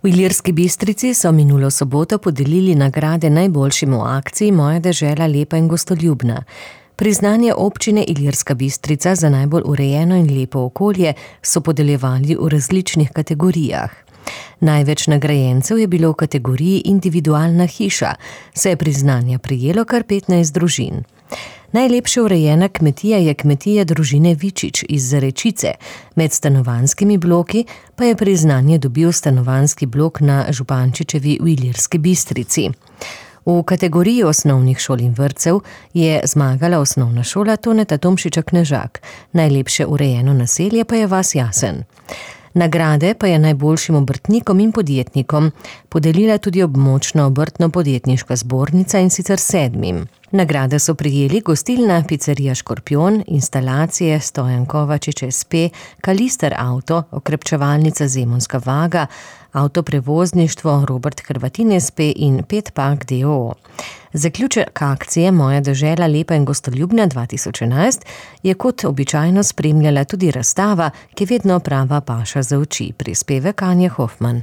V Ilirski Bistrici so minulo soboto podelili nagrade najboljšim v akciji Moja dežela lepa in gostoljubna. Priznanje občine Ilirska Bistrica za najbolj urejeno in lepo okolje so podeljevali v različnih kategorijah. Največ nagrajencev je bilo v kategoriji individualna hiša, saj je priznanja prejelo kar 15 družin. Najlepše urejena kmetija je kmetija družine Vičič iz Zarečice, med stanovanjskimi bloki pa je priznanje dobil stanovanjski blok na Župančičevi v Ilirski Bistrici. V kategoriji osnovnih šol in vrtcev je zmagala osnovna šola Toneta Tomšiča Knežak, najlepše urejeno naselje pa je vas Jasen. Nagrade pa je najboljšim obrtnikom in podjetnikom podelila tudi območna obrtno-podjetniška zbornica, in sicer 7. Nagrade so prejeli gostilna Picerija Škorpion, instalacije Stojan Kovačič SP, Kalister Avto, okrepčevalnica Zemonska Vaga, avtoprevozništvo Robert Hrvatin SP in Petpak d.o.o. Zaključek akcije Moja dežela lepa in gostoljubna 2011 je kot običajno spremljala tudi razstava, ki je vedno prava paša za oči, prispevek Anje Hofman.